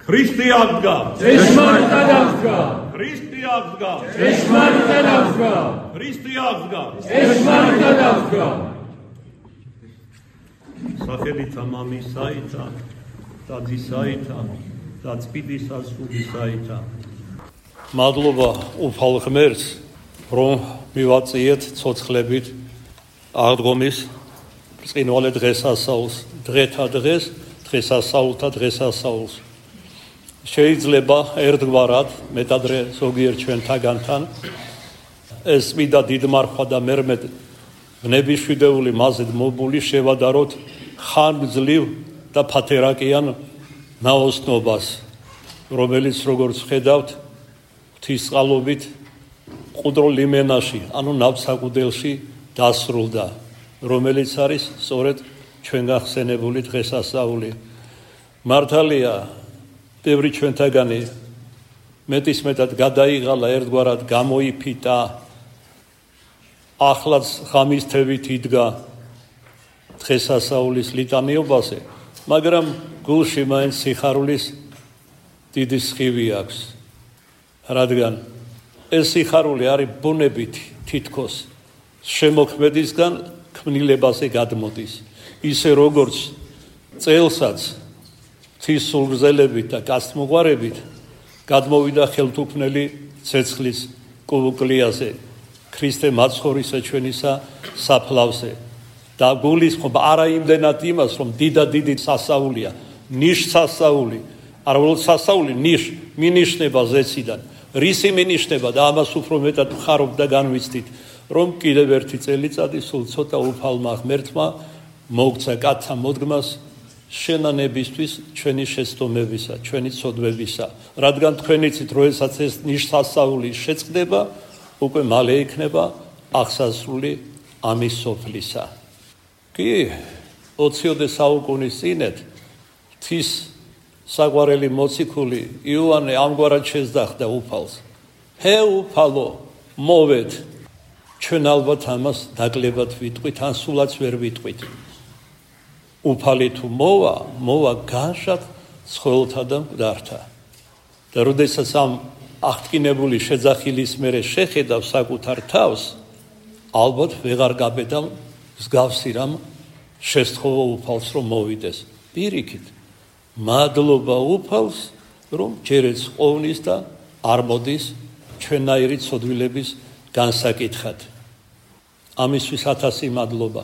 Ქრისტე აღდგა. ჭეშმარიტად აღდგა. ქრისტე აღდგა. ჭეშმარიტად აღდგა. ქრისტე აღდგა. ჭეშმარიტად აღდგა. სახელითა მამისაითა და ძისაითა და წმინდისა სულისაითა. მადლობა უფალ ღმერთს, რომ მივაწიეთ ცოცხლებით აღდგომის ბრწყინვალე დღესასწაულს, დღეთა დღეს, დღესასწაულთა დღესასწაულს. შეიძლება ერთგვარად მეტადრე ზოგიერთ ჩვენთაგანთან ეს წმინდა დიდმარხვა და მერმედ ბნების შვიდეული მაზედ მობული შევადაროთ ხანგრძლივ და ფათერაკიან ნაოსნობას, რომელიც როგორც ხედავთ ღვთისწყალობით მყუდრო ლიმენაში, ანუ ნავსაყუდელში დასრულდა, რომელიც არის სწორედ ჩვენ გახსენებული დღესასწაული. მართალია, ბევრი ჩვენთაგანი მეტისმეტად გადაიღალა, ერთგვარად გამოიფიტა, ახლაც ღამის თევით იდგა დღესასწაულის ლიტანიობაზე, მაგრამ გულში მაინც სიხარულის დიდი სხივი აქვს, რადგან ეს სიხარული არის ბუნებით თითქოს შემოქმედისგან ქმნილებაზე გადმოდის, ისე როგორც წელსაც ღვთის სულგრძელებით და კაცთმოყვარებით გადმოვიდა ხელთუქმნელი ცეცხლის კუკლიაზე, ქრისტე მაცხოვრისა ჩვენისა საფლავზე და გულისხმობა არა იმდენად იმას, რომ დიდი სასაულია, ნიშსასაული, არა უბრალოდ სასაული, მინიშნება ზეციდან, რისი მინიშნება და ამას უფრო მეტად ვხარობ და განვიცდით, რომ კიდევ ერთი წელიწადი სულ ცოტა უფალმა ღმერთმა მოგცა კაცთა მოდგმას შენანებისთვის ჩვენი შეცდომებისა, ჩვენი ცოდვებისა, რადგან თქვენ იცით, როდესაც ეს ნიშსასაული შეწყდება, უკვე მალე იქნება აღსასრული ამის სოფლისა. კი, 20-ოდე საუკუნის წინეთ ღვთის საყვარელი მოციქული იოანე ამგვარად შეძახდა უფალს. ჰე უფალო, მოვედ, ჩვენ ალბათ ამას დაკლებად ვიტყვით, ან სულაც ვერ ვიტყვით. უფალი თუ მოვა განშად ცხოველთა და მკვდართა. და როდესაც ამ აღტკინებული შეძახილის მერე შეხედავ საკუთარ თავს, ალბათ ვეღარ გაბედავ მსგავსი რამ შესთხოვა უფალს, რომ მოვიდეს. პირიქით, მადლობა უფალს, რომ ჯერეც ყოვნის და არ მოდის ჩვენაირი ცოდვილების განსაკითხად. ამისთვის 1000 მადლობა.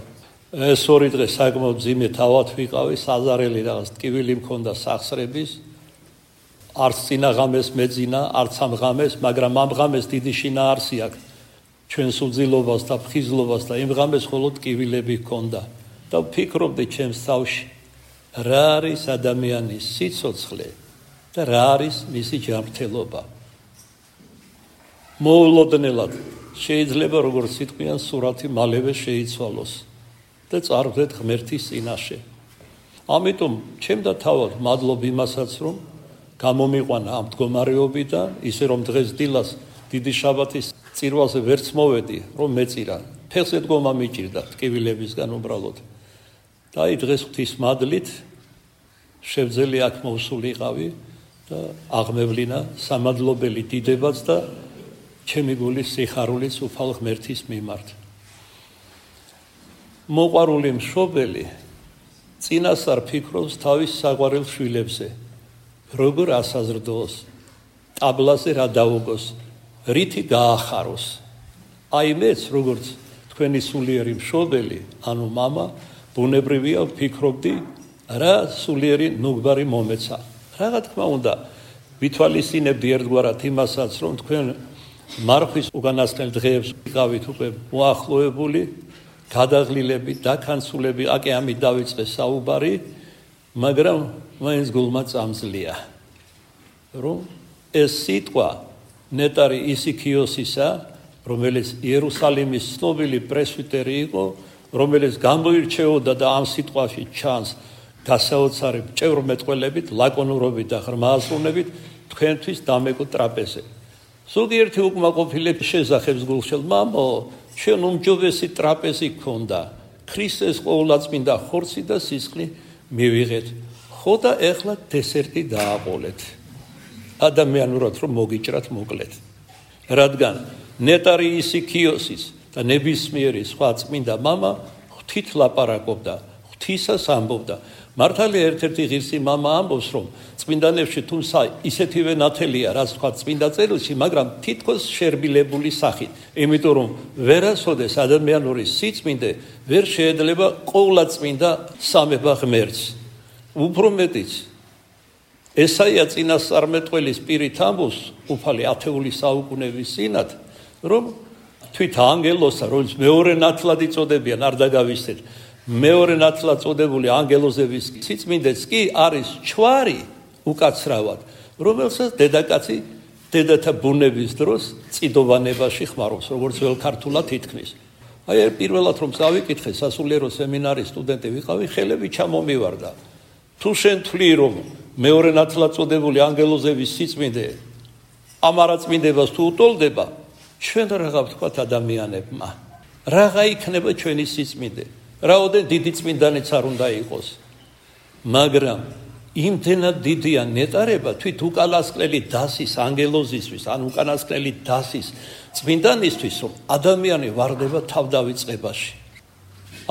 ეს ორი დღე საკმაოდ მძიმე თავად ვიყავი, საზარელი რაღაც ტკივილი მქონდა სახსრების, არც წინა ღამეს მეძინა, არც ამ ღამეს, მაგრამ ამ ღამეს დიდი შინაარსი აქვს ჩვენს უძილობას და ფხიზლობას და იმ ღამეს მხოლოდ ტკივილები ჰქონდა და ვფიქრობდი ჩემს თავში, რა არის ადამიანის სიცოცხლე და რა არის მისი ჯანმრთელობა. მოულოდნელად შეიძლება როგორც სიტყვიან სურათი მალევე შეიცვალოს და წარვდეთ ღმერთის წინაშე. ამიტომ ჩემდა თავად მადლობ იმასაც, რომ გამომიყვანა ამ მდგომარეობიდან, ისე რომ დღეს დილას დიდი შაბათის წირვალზე ვერც მოვედი, რომ მეწირა. ფეხზე დგომა მიჭირდა ტკივილებისგან უბრალოდ. და აი დღეს ღვთის მადლით შევძელი აქ მოვსულიყავი და აღმევლინა სამადლობელი დიდებაც და ჩემი გულის სიხარულიც უფალ ღმერთის მიმართ. მოყვარული მშობელი წინასწარ ფიქრობს თავის საყვარელ შვილებზე, როგორ ასაზრდოს, ტაბლაზე რა დაუგოს, რითი გაახაროს. აი მეც, როგორც თქვენი სულიერი მშობელი, ანუ მამა, ბუნებრივია ვფიქრობდი, რა სულიერი ნუგბარი მომეცა. რა თქმა უნდა, ვითვალისწინებდი ერთგვარად იმასაც, რომ თქვენ მარხვის უკანასკნელ დღეებს ვიყავით უკვე მოახლოებული, გადაღლილები, დაქანცულები, აკე ამით დავიწყე საუბარი, მაგრამ მაინც გულმა წამძლია, რომ ეს სიტყვა ნეტარი ისიქიოსისა, რომელიც იერუსალიმის ცნობილი პრესვიტერი იყო, რომელიც გამოირჩეოდა და ამ სიტყვაში ჩანს გასაოცარი ჭევრმეტყველებით, ლაკონურობით და ღრმააზროვნებით თქვენთვის დამეგო ტრაპეზე. ზოგიერთი უკმაყოფილების შესახებს გულშელ, მამო, ჩვენ უმჯობესი ტრაპეზი გქონდა, ქრისტეს ყოვლადწმინდა ხორცი და სისხლი მივიღეთ. ხო და ეხლა დესერტი დააყოლეთ. ადამიანურად რომ მოგიჭრათ მოკლედ. რადგან ნეტარი ისიქიოსის და ნებისმიერი სხვა წმინდა მამა ღვთით ლაპარაკობდა, ღვთისას ამბობდა. მართალია ერთ-ერთი ღირსი მამა ამბობს, რომ წმინდანებში თუმცა ისეთივე ნათელია, რაც თქვა წმინდა წერილში, მაგრამ თითქოს შერბილებული სახით. იმიტომ რომ ვერასოდეს ადამიანური სიწმინდე ვერ შეეძლება ყოვლადწმინდა სამება ღმერთს. უფრო მეტიც ესაია წინასწარმეტყველის პირით ამბობს უფალი ათეული საუკუნეების წინათ, რომ თვით ანგელოსა, რომელიც მეორე ნათლად იწოდებიან, არ დაგავიწყდეთ, მეორე ნათლად წოდებული ანგელოზების სიწმინდეც კი არის ჩვარი უკაცრავად, რომელსაც დედაკაცი დედათა ბუნების დროს წიდოვანებაში ხმარობს, როგორც ველქართულად ითქმის. აი პირველად რომ წავიკითხე სასულიერო სემინარის სტუდენტი ვიყავი, ხელები ჩამომივარდა. თუ შენ თვლი რომ მეორე ნათლად წოდებული ანგელოზების სიწმინდე ამ არაწმინდებას თუ უტოლდება, ჩვენ რაღა ვთქვათ ადამიანებმა, რაღა იქნება ჩვენი სიწმინდე, რაოდენ დიდი წმინდანიც არ უნდა იყოს, მაგრამ იმდენად დიდია ნეტარება თვით უკანასკნელი დასის ანგელოზისთვის, ან უკანასკნელი დასის წმინდანისთვის, რომ ადამიანი ვარდება თავდავიწყებაში.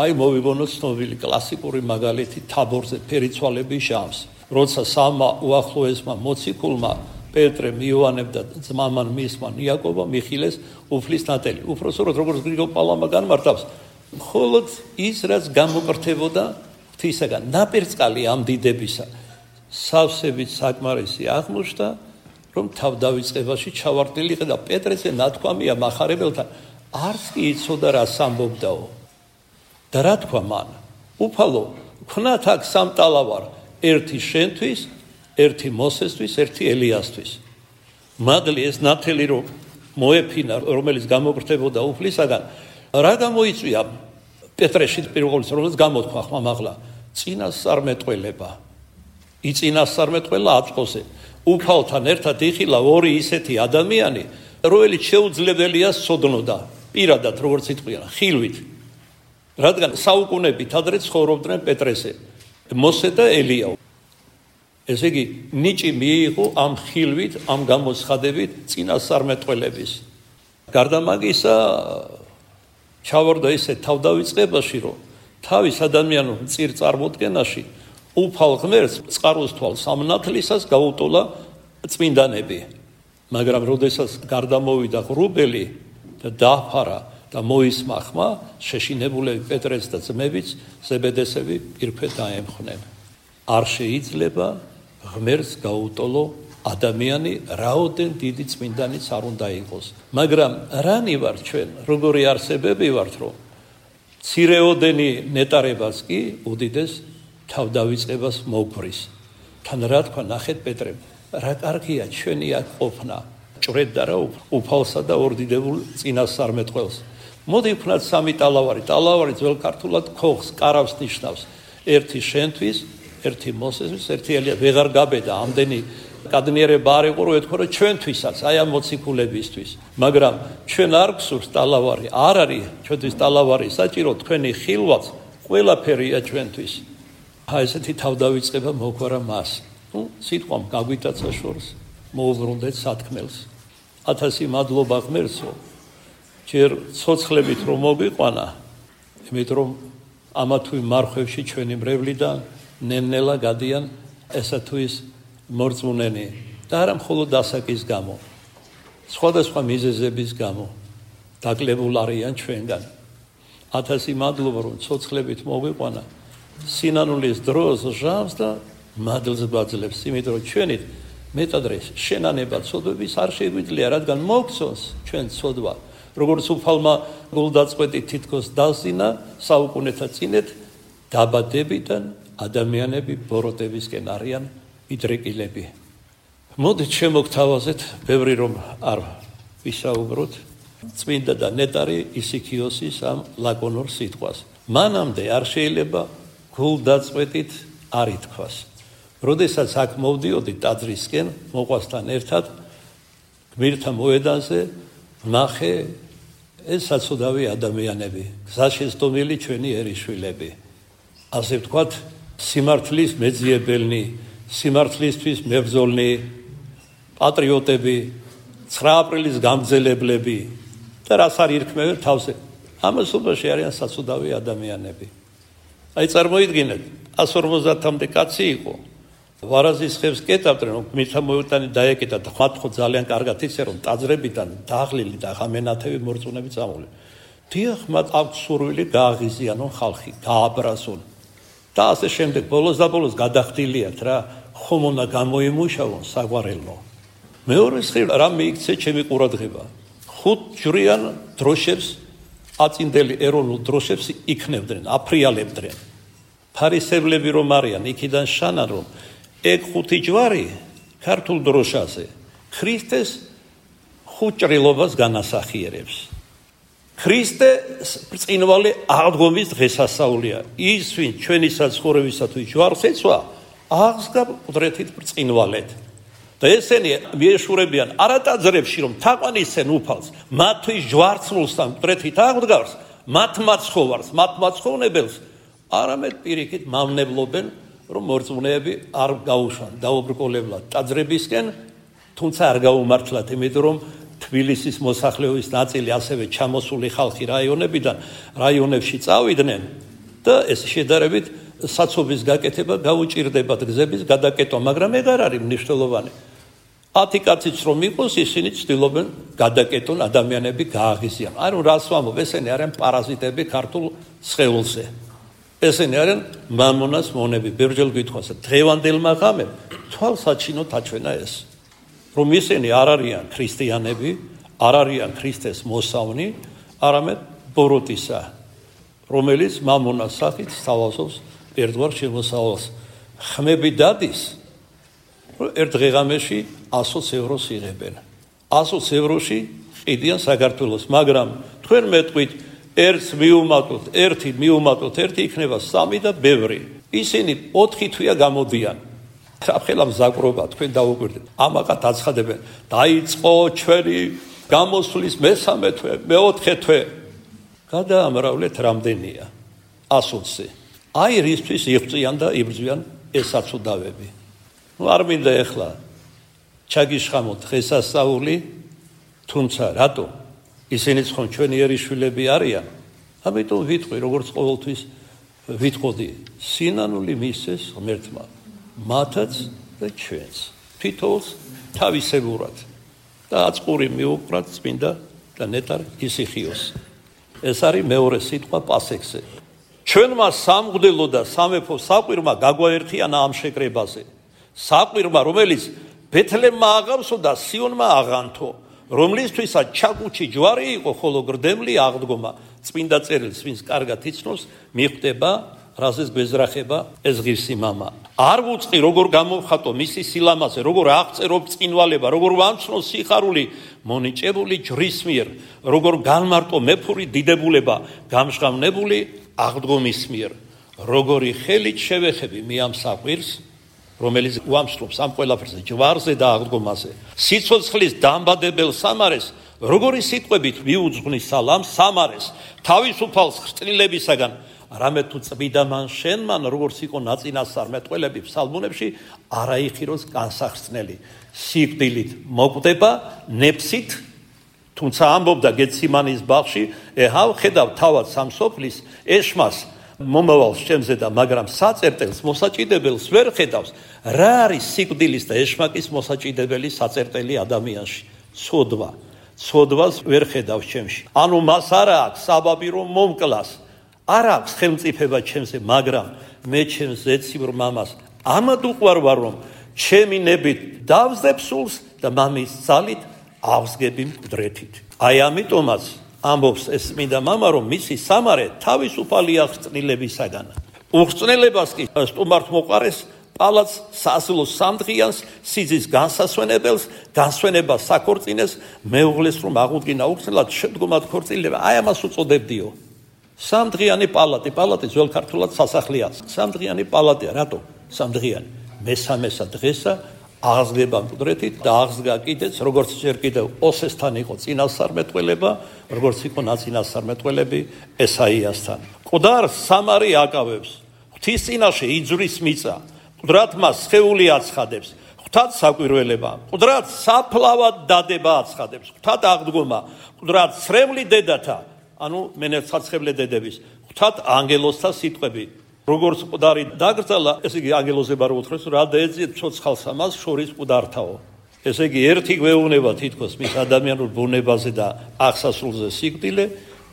აი მოვიგონოთ ცნობილი კლასიკური მაგალითი თაბორზე ფერიცვალების ჟამს, როცა სამმა უახლოესმა მოციქულმა პეტრემ, იოანემ და ძმამან მისმან იაკობამ მიხილეს უფლის ნათელი. უпроსოროდ როგორც გრიგოლ პალამა განმარტავს, მხოლოდ ის რაც გამოკრთებოდა ღვთისაგან, ნაპირწყალი ამ დიდებისა, სავსებით საკმარისი აღმოჩნდა, რომ თავდავიწყებაში ჩავარდნილიყო და პეტრეზე ნათქვამია მახარებელთან, არც კი იცოდა რას ამბობდაო. და რა თქვა მან? უფალო, ქნათ აქ სამტალა ვარ, ერთი შენთვის, ერთი მოსესთვის, ერთი ელიასთვის. მადლი ეს ნათელი რომ მოეფინა, რომელიც გამოკრთებოდა უფლისაგან, რა გამოიწვია პეტრეში პირველს, რომელიც გამოთქვა ხმამაღლა, წინასწარმეტყველება. იწინასწარმეტყველა აწყოსე. უფალთან ერთად იხილა ორი ისეთი ადამიანი, რომელიც შეუძლებელია სოდნოდა, პირადად როგორც იტყვიან, ხილვით. რადგან საუკუნებით ადრე ცხოვრობდნენ პეტრესე, მოსე და ელია. ესე იგი, ნიჭი მიიღო ამ ხილვით, ამ გამოცხადებით წინასწარმეტყველების. გარდა მაგისა, ჩავარდა ისე თავდავიწყებაში, რომ თავის ადამიანურ მწირ წარმოდგენაში უფალ ღმერთს წყაროს თვალ სამნათლისას გაუტოლა წმინდანები. მაგრამ როდესაც გარდამოვიდა ღრუბელი და დააფარა და მოისმა ხმა, შეშინებულები პეტრეს და ძმებიც, ზებედესები პირფეთ დაემხნენ. არ შეიძლება ღმერთს გაუტოლო ადამიანი, რაოდენ დიდი წმინდანიც არ უნდა იყოს. მაგრამ რანი ვარ ჩვენ, როგორი არსებები ვართ, რომ მცირეოდენი ნეტარებას კი უდიდეს თავდავიწყებას მოგვრის. თან რა თქვა, ნახეთ პეტრემ, რა კარგია ჩვენი აქ ყოფნა, ჭრედდა რა უფალსა და ორდიდებულ წინასწარმეტყველს. მოდი ვქნათ სამი ტალავარი. ტალავარი ძველ ქართულად ქოხს, კარავს ნიშნავს. ერთი შენთვის, ერთი მოსესთვის, ერთი ელია. ვეღარ გაბედა ამდენი კადნიერება არ იყო, რომ ეთქვა, რომ ჩვენთვისაც, აი ამ მოციქულებისთვის. მაგრამ ჩვენ არ გსურს ტალავარი, არ არის ჩვენთვის ტალავარი საჭირო, თქვენი ხილვაც ყველაფერია ჩვენთვის. აი ესეთი თავდავიწყება მოგვარა მას. სიტყვამ გაგვითაცა შორს, მოუბრუნდეთ სათქმელს. 1000 მადლობა ღმერთსო, ჯერ ცოცხლებით რომ მოგიყვანა, იმიტომ რომ ამა თუ იმ მარხვევში ჩვენი მრევლიდან ნელ-ნელა გადიან ესა თუ ის მორწმუნენი და არა მხოლოდ ასაკის გამო, სხვადასხვა მიზეზების გამო დაკლებულ არიან ჩვენგან. 1000 მადლობა რომ ცოცხლებით მოგიყვანა, სინანულის დროს ჟამს და მადლს გვაძლევს, იმიტომ რომ ჩვენით მეტადრე შენანება ცოდვების არ შეგვიძლია, რადგან მოგცოს ჩვენ ცოდვა. როგორც უფალმა გულდაწყვეტი თითქოს დასინა საუკუნეთა წინეთ, დაბადებიდან ადამიანები ბოროტებისკენ არიან მიდრეკილები. მოდით შემოგთავაზეთ, ბევრი რომ არ ვისაუბროთ, წმინდა და ნეტარი ისიქიოსის ამ ლაკონურ სიტყვას. მანამდე არ შეიძლება გულდაწყვეტით არ ითქვას. როდესაც აქ მოვდიოდი ტაძრისკენ, მოყვასთან ერთად, გმირთა მოედანზე ნახე ეს საცოდავი ადამიანები, გზაშესტომილი ჩვენი ერისშვილები. ასე ვთქვათ, სიმართლის მეძიებელნი, სიმართლისთვის მებრძოლნი, პატრიოტები, 9 აპრილის გამგზელებლები და რას არ ირქმევენ თავზე. ამასობაში არიან საცუდავი ადამიანები. აი წარმოიდგინეთ, 150-მდე კაცი იყო. ვარაზის ხევს კეტავდნენ, რომ მითხა მოუტანი დაეკეტა და ხმათ ხო ძალიან კარგად იცე რომ ტაძრებიდან დაღლილი და ღამენათევი მორწმუნეები წამოვლენ. დიახ, მათ აქვს სურვილი გააღიზიანონ ხალხი, გააბრაზონ. და ასე შემდეგ ბოლოს და ბოლოს გადახდილიათ რა, ხომ უნდა გამოიმუშავონ საგვარელო. მეორე მხრივ რა მიიქცე ჩემი ყურადღება. 5 ჯვრიან დროშებს, აწინდელი ეროვნულ დროშებს იქნებდნენ, აფრიალებდნენ. ფარისევლები რომ არიან, იქიდან შანან რომ ეგ 5 ჯვარი ქართულ დროშაზე ქრისტეს ხუჭრილობას განასახიერებს. ქრისტე ბრწყინვალე აღდგომის დღესასწაულია. ის ვინ ჩვენი საცხოვრებისათვის ჯვარს ეცვა, აღსგა ყდრეთით ბრწყინვალეთ. და ესენი მიეშურებიან არა ტაძრებში რომ თაყვანისცენ უფალს, მათთვის ჯვარცმულსთან ყდრეთით აღდგავს, მათ მაცხოვნებელს არამედ პირიქით მავნებლობენ რომ მორწმუნეები არ გაუშვან დაუბრკოლებლად ტაძრებისკენ, თუმცა არ გაუმართლათ, იმიტომ რომ თბილისის მოსახლეობის ნაწილი ასევე ჩამოსული ხალხი რაიონებში წავიდნენ და ეს შედარებით საცობის გაკეთება გაუჭირდებათ გზების გადაკეთვა, მაგრამ ეგ არ არის მნიშვნელოვანი. 10 კაციც რომ იყოს, ისინი ცდილობენ გადაკეთონ ადამიანები გააღიზიან. ანუ რას ვამბობ, ესენი არიან პარაზიტები ქართულ სხეულზე. ესენი არიან მამონას მონები. ბევრჯერ გითხოვს, დღევანდელმა ღამემ თვალსაჩინოდ აჩვენა ეს, რომ ისინი არ არიან ქრისტიანები, არ არიან ქრისტეს მოსავნი, არამედ ბოროტისა, რომელიც მამონას სახით სთავაზობს ერთგვარ შემოსავალს. ხმები დადის, რომ ერთ დღეღამეში 100 ევროს იღებენ. 100 ევროში ყიდიან საქართველოს, მაგრამ თქვენ მეტყვით ერთს მიუმატოთ, ერთი იქნება 3 და ბევრი. ისინი 4 თვეა გამოდიან. საფხელა მზაკრობა თქვენ დაუკვირდეთ. ამაყად აცხადებენ. დაიწყო ჩვენი გამოსვლის მე-3 თვე, მე-4 თვე. გადაამრავლეთ რამდენია? 100-ზე. აი რისთვის იღწვიან და იბრძვიან ეს საცუდავები. არ მინდა ეხლა ჩაგიშხამოთ დღესასწაული, თუმცა რატო? ისინიც ხომ ჩვენი ერიშვილები არიან. ამიტომ ვიტყვი, როგორც ყოველთვის ვიტყოდი, სინანული მისცეს ღმერთმა, მათაც და ჩვენს, თითოეულს თავისებურად და აწყური მიუყრათ წმინდა და ნეტარ ისიხიოს. ეს არის მეორე სიტყვა პასექზე. ჩვენმა სამღვდელო და სამეფო საყვირმა გაგვაერთიანა ამ შეკრებაზე. საყვირმა, რომელიც ბეთლემმა აღავსო და სიონმა აღანთო, რომლისთვისაც ჩაკუჩი ჯვარი იყო, ხოლო გრდემლი აღდგომა. წმინდა წერილს, ვინც კარგად იცნობს, მიხვდება, რაზეც გვეზრახება ეს ღირსი მამა. არ ვუწყი, როგორ გამოვხატო მისი სილამაზე, როგორ აღწერო ბრწყინვალება, როგორ ვამცნო სიხარული მონიჭებული ჯვრის მიერ, როგორ განმარტო მეფური დიდებულება გამშღავნებული აღდგომის მიერ, როგორი ხელით შევეხები მე ამ საყვირს, რომელიც უამსრობს ამ ყველაფერზე, ჯვარზე და აღდგომაზე. სიცოცხლის დამბადებელ სამარეს, როგორი სიტყვებით მიუძღვნის სალამ სამარეს, თავისუფალს ხრწნილებისაგან, რამე თუ წმიდა მან შენ მან, როგორც იყო ნაწინასწარ მეტყველები ფსალმუნებში, არაიხიროს განსახსნელი. სიკვდილით მოკვდება, ნეფსით, თუმცა ამბობდა გეციმანის ბაღში, ეჰავ ხედავ თავად სამსოფლის ეშმას მომავალს ჩემზე და მაგრამ საწერტელს მოსაჭიდებელს ვერ ხედავს. რა არის სიკვდილის და ეშმაკის მოსაჭიდებელი საწერტელი ადამიანში? ცოდვას ვერ ხედავს ჩემში. ანუ მას არ აქვს საბაბი რომ მომკლას, არ აქვს ხელმწიფება ჩემზე, მაგრამ მე ჩემს ზეციურ მამას ამად უყვარ ვარ, რომ ჩემი ნებით დავსდებ სულს და მამის ძალით ავსგები მკვდრეთით. აი ამიტომაც ამბობს ეს წმინდა მამა, რომ მისი სამარე თავისუფალია ხრწნილებისაგან. უხრწნელებას კი სტუმართ მოყარეს პალაც სასულო სამდღიანს, სიძის განსასვენებელს, განსვენებას საქორწინეს, მეუღლეს რომ აღუდგინა უხრწნელად შედგომად ქორწილება. აი ამას უწოდებდიო. სამდღიანი პალატი ძველ ქართულად სასახლეა. სამდღიანი პალატია, რატო? სამდღიანი. მე-3 დღესა აღსგება მკვდრეთით და აღსგა კიდეც, როგორც ჯერ კიდევ ოსესთან იყო წინასწარმეტყველება, როგორც იყო ნაწინასწარმეტყველები ესაიასთან. მკვდარ სამარი აკავებს, ღვთის წინაშე იძვრის მიწა, მკვდრად მას სხეული აცხადებს, ღვთად საკვირველება, მკვდრად საფლავად დადება აცხადებს, ღვთად აღდგომა, მკვდრად სრემლი დედათა, ანუ მენეცხაცხებლე დედების, ღვთად ანგელოზთა სიტყვები. როგორც მკვდარი დაკრძალა, ესე იგი ანგელოზებმა რო უთხრეს, რა დაეძიეთ ცოცხალს ამას შორის მკვდართაო. ესე იგი ერთი გვეუბნება თითქოს მის ადამიანურ ბუნებაზე და აღსასრულზე სიკვდილი,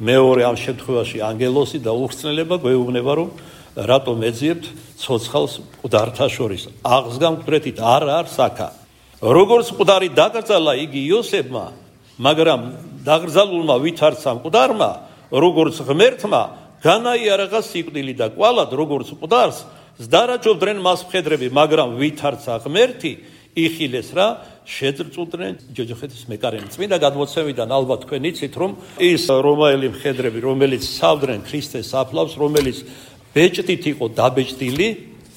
მეორე ამ შემთხვევაში ანგელოზი და უხრწნელება გვეუბნება, რომ რატომ ეძიებთ ცოცხალს მკვდართა შორის. აღსგან მკვდრეთით არ არის აქა. როგორც მკვდარი დაკრძალა იგი იოსებმა, მაგრამ დაკრძალულმა ვითარცა მკვდარმა, როგორც ღმერთმა განაიარაღა სიკვდილი და კვალად როგორც მკვდარს ზდარაჯობდნენ მას მხედრები, მაგრამ ვითარცა ღმერთი იხილეს რა შეძრწუდნენ ჯოჯოხეთის მეკარენი. წმინდა გადმოცემიდან ალბათ თქვენ იცით, რომ ის რომაელი მხედრები, რომელიც სავდნენ ქრისტეს საფლავს, რომელიც ბეჭდით იყო დაბეჭდილი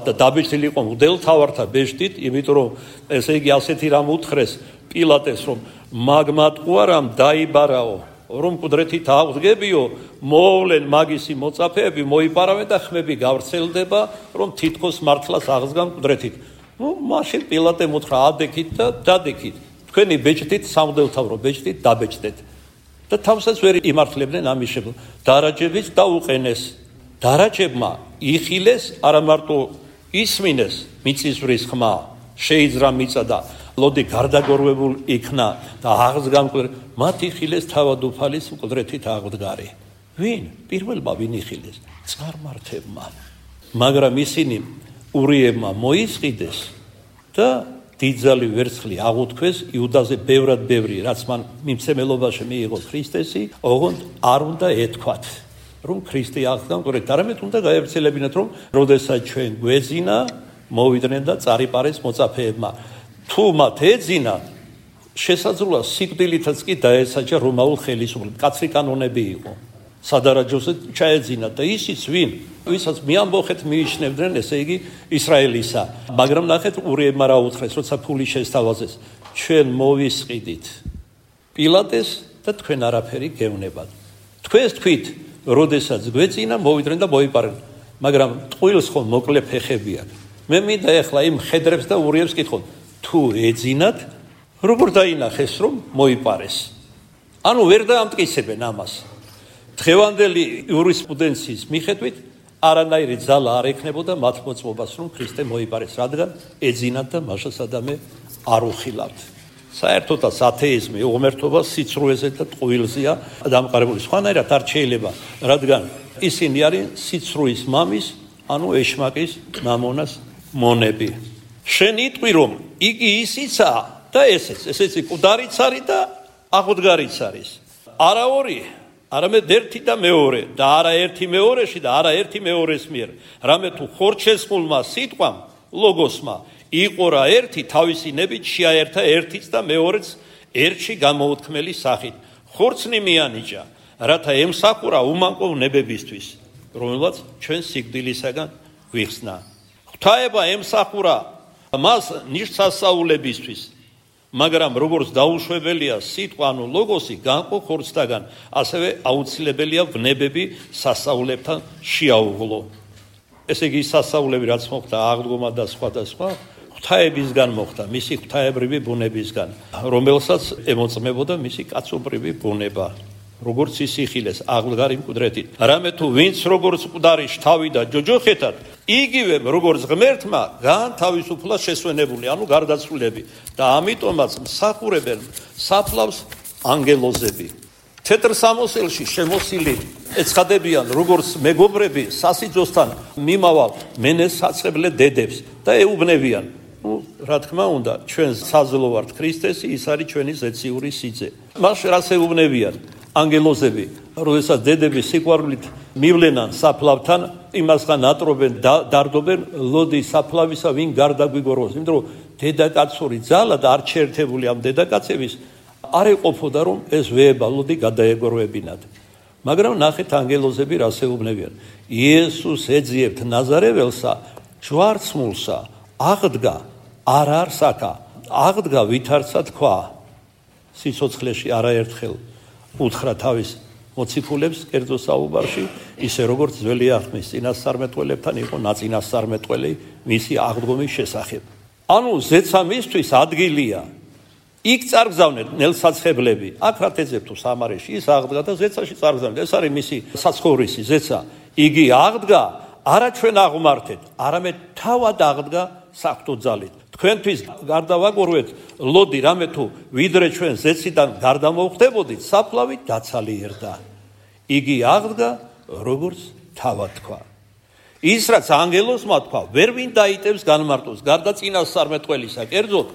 და დაბეჭდილი იყო მღვდელთავართა ბეჭდით, იმიტომ რომ ესე იგი ასეთი რამ უთხრეს პილატეს, რომ მაგმატყუარამ დაიბარაო, რომ მკვდრეთით აღდგებიო, მოვლენ მაგისი მოწაფეები, მოიპარავენ და ხმები გავრცელდება, რომ თითქოს მართლაც აღსგან მკვდრეთით. მაშინ პილატემ უთხრა ადექით და დადექით. თქვენი ბეჭდით სამღვდელთავრო ბეჭდით დაბეჭდეთ. და თავსაც ვერ იმართლებდნენ ამის შეფლ. დარაჯებიც დაუყენეს. დარაჯებმა იხილეს, არა მარტო ისმინეს მიწისვრის ხმა, შეიძრა მიწა და ლოდი გარდაგორვებულ იქნა და აღსგან მკვდრეთით. მათ იხილეს თავადუფალის მკვდრეთით აღდგარი. ვინ? პირველმა ვინ იხილეს? წყარმართებმა. მაგრამ ისინი ურიებმა მოისყიდეს და დიდძალი ვერცხლი აღუთქვეს იუდაზე ბევრად ბევრი, რაც მან მიმცემელობაში მიიღო ქრისტესი, ოღონდ არ უნდა ეთქვათ, რომ ქრისტე აღდგა მკვდრეთით. არამედ უნდა გაევრცელებინათ, რომ როდესაც ჩვენ გვეძინა, მოვიდნენ და წარიპარეს მოწაფეებმა. თუ მათ ეძინა, შესაძლოა სიკვდილითაც კი დაესაჯა რომაულ ხელისუფლებას. კაცრი კანონები იყო. სადარაჯოზე ჩაეძინა და ისიც ვინ, ვისაც მიამბოხეთ მიიჩნევდნენ, ესე იგი ისრაელისა. მაგრამ ნახეთ ურიებმა რა უთხრეს, როცა ფული შესთავაზეს, ჩვენ მოვისყიდით პილატეს და თქვენ არაფერი გევნებათ. თქვენს თქვით, როდესაც გვეძინა, მოვიდნენ და მოიპარენ. მაგრამ ტყუილს ხომ მოკლე ფეხები აქვს. მე მინდა ეხლა იმ მხედრებს და ურიებს კითხოთ, თუ ეძინათ, როგორ დაინახეს, რომ მოიპარეს? ანუ ვერ დაამტკიცებენ ამას. დღევანდელი იურისპრუდენციის მიხედვით არანაირი ძალა არ ექნებოდა მათ მოწმობას, რომ ქრისტე მოიპარეს, რადგან ეძინათ და მაშას ადამე არ უხილავთ. საერთოდაც ათეიზმი უღმერთობა სიცრუეზე და ტყუილზეა დამყარებული. სხვანაირად არ შეიძლება, რადგან ისინი არის სიცრუის მამის, ანუ ეშმაკის მამონას მონები. შენ იტყვი, რომ იგი ისიცაა და ესეც მკვდარიც არის და აღდგარიც არის. არა ორი, არამედ ერთი და მეორე და არა ერთი მეორეში და არა ერთი მეორეს მიერ. რამე თუ ხორჩესყულმა სიტყვამ, ლოგოსმა იყო რა ერთი თავისი ნებით შეაერთა ერთიც და მეორეც ერთში გამოუთქმელი სახით. ხორცნი მიანიჭა, რათა ემსახურა უმანკოვ ნებებისთვის, რომელსაც ჩვენ სიკვდილისაგან გვიხსნა. ღვთაება ემსახურა მას ნიშნსასწაულებისთვის, მაგრამ როგორც დაუშვებელია სიტყვა, ანუ ლოგოსი განყო ხორცთაგან, ასევე აუცილებელია ვნებები სასწაულებთან შეაუღლო. ესე იგი სასწაულები რაც მოხდა აღდგომა და სხვა და სხვა, ღვთაებისგან მოხდა, მისი ღვთაებრივი ბუნებისგან, რომელსაც ემოწმებოდა მისი კაცობრივი ბუნება. როგორც ის იხილეს აღდგარი მკვდრეთით. რამე თუ ვინც როგორც მკვდარი შთავიდა ჯოჯოხეთად, იგივე როგორც ღმერთმა განთავისუფლა შესვენებული, ანუ გარდაცვლილები და ამიტომაც მსახურებენ საფლავს ანგელოზები. თეთრ სამოსელში შემოსილი ეცხადებიან როგორც მეგობრები სასიძოსთან მიმავალ მენესაცხებლე დედებს და ეუბნებიან, რა თქმა უნდა, ჩვენ საძლო ვართ ქრისტესი, ის არის ჩვენი ზეციური სიძე. მას რას ეუბნებიან? ანგელოზები, როდესაც დედები სიყვარულით მივლენან საფლავთან, იმასგან ატრობენ და დარდობენ, ლოდი საფლავისა ვინ გარდაგვიგოროს, იმიტომ რომ დედაკაცური ძალა და არ შეერთებული ამ დედაკაცების არ ეყოფოდა, რომ ეს ვეებალოდი გადაეგორვებინათ. მაგრამ ნახეთ ანგელოზები რას ეუბნებიან. იესოს ეძიებთ ნაზარეველსა, ჯვარცმულსა, აღდგა, არ არის აქა, აღდგა ვითარცა თქვა. სიცოცხლეში არაერთხელ უთხრა თავის მოციქულებს კერძო საუბარში, ისე როგორც ძველი აღთქმის წინასწარმეტყველებთან იყო ნაწინასწარმეტყველი მისი აღდგომის შესახებ. ანუ ზეცა მისთვის ადგილია. იქ წარგზავნეთ ნელსაცხებლები, აქ რა თეძებ თუ სამარეში, ის აღდგა და ზეცაში წარგზავნეთ. ეს არის მისი საცხოვრისი ზეცა. იგი აღდგა, არა ჩვენ აღმართეთ, არამედ თავად აღდგა საღვთო ძალით. თქვენთვის გარდავაგორვეთ, ლოდი რამე თუ ვიდრე ჩვენ ზეციდან გარდამოვხდებოდით, საფლავი დაცალიერდა. იგი აღდგა, როგორც თავად თქვა. ის რაც ანგელოსმა თქვა, ვერ ვინ დაიტევს განმარტოს, გარდა წინასწარმეტყველისა. კერძოდ,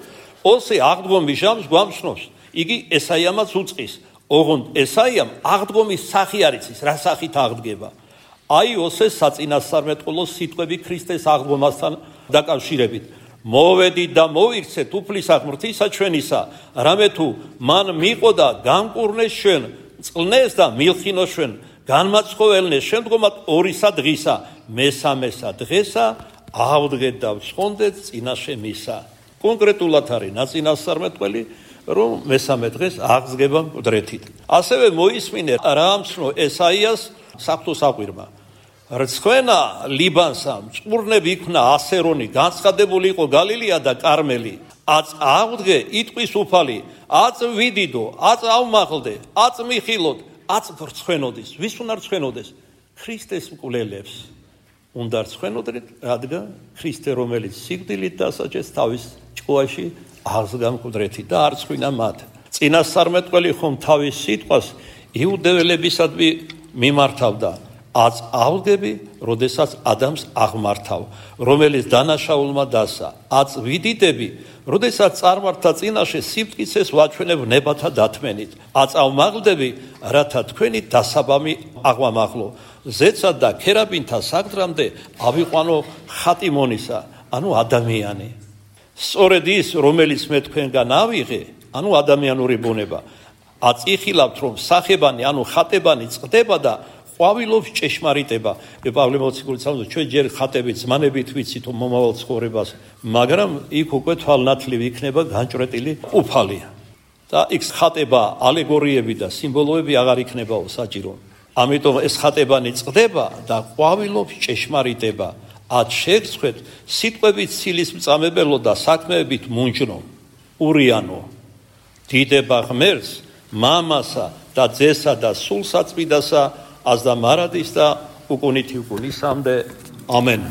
ოსე აღდგომის ჟამს გვამცნობს, იგი ესაიამაც უწყის. ოღონდ ესაიამ აღდგომის სახი არ იცის, რა სახით აღდგება. აი ოსეს საწინასწარმეტყველო სიტყვები ქრისტეს აღდგომასთან დაკავშირებით. მოვედით და მოვიქცეთ უფლისა ღმრთისა ჩვენისა, რამე თუ მან მიყოდა გამკურნეს ჩვენ, წყლნეს და მილხინოს ჩვენ, განმაცხოველნეს შემდგომად ორისა დღისა, მესამესა დღესა ავდგეთ და ვცხონდეთ წინაშე მისა. კონკრეტულად არის ნაწინასწარმეტყველი, რომ მესამე დღეს აღსგება მკვდრეთით. ასევე მოისმინე რა ამცნო ესაიას საღვთო საყვირმა. რცხვენა ლიბანსა, მწყურნები იქნა ასერონი, განცხადებული იყო გალილეა და კარმელი. აც აღდგე იტყვის უფალი, აც ვიდიდო, აც ავმაღლდე, აც მიხილოდ, აც ვრცხვენოდეს. ვის უნდა რცხვენოდეს? ქრისტეს მკვლელებს. უნდა რცხვენოდეთ, რადგან ქრისტე, რომელიც სიკვდილით დასაჯეს, თავის ჭკუაში აღსგა მკვდრეთით და არ რცხვინა მათ. წინასწარმეტყველი ხომ თავის სიტყვას იუდეველებისადმი მიმართავდა. აც ავდგები, როდესაც ადამიანს აღმართავ, რომელიც დანაშაულმა დასა. აც ვიდიდები, როდესაც წარმართა წინაშე სიფტკიცეს ვაჩვენებ ნებათა დათმენით. აც ავმაღლდები, რათა თქვენი დასაბამი აღვამაღლო. ზეცა და ქერაბინთა საგდრამდე ავიყვანო ხატიმონისა, ანუ ადამიანი. სწორედ ის, რომელიც მე თქვენგან ავიღე, ანუ ადამიანური ბუნება. აც იხილავთ, რომ სახებანი, ანუ ხატებანი წყდება და ყვავილობს ჭეშმარიტება. პავლე მოციქული ცალმოს ჩვენ ჯერ ხატებით ზმანებით ვიცით მომავალ ცხოვრებას, მაგრამ იქ უკვე თვალნათლივ იქნება განჭრეტილი უფალი. და იქ ხატება, ალეგორიები და სიმბოლოები აღარ იქნებაო საჭირო. ამიტომ ეს ხატებანი წყდება და ყვავილობს ჭეშმარიტება. ათ შეგცხვეთ სიტყვებით ცილის მწამებელო და საქმეებით მუნჯნო. ურიანო. დიდება ღმერთს, მამასა და ძესა და სულ საწმიდასა, აზდა მარადის და უკუნითი უკუნისამდე. ამენ.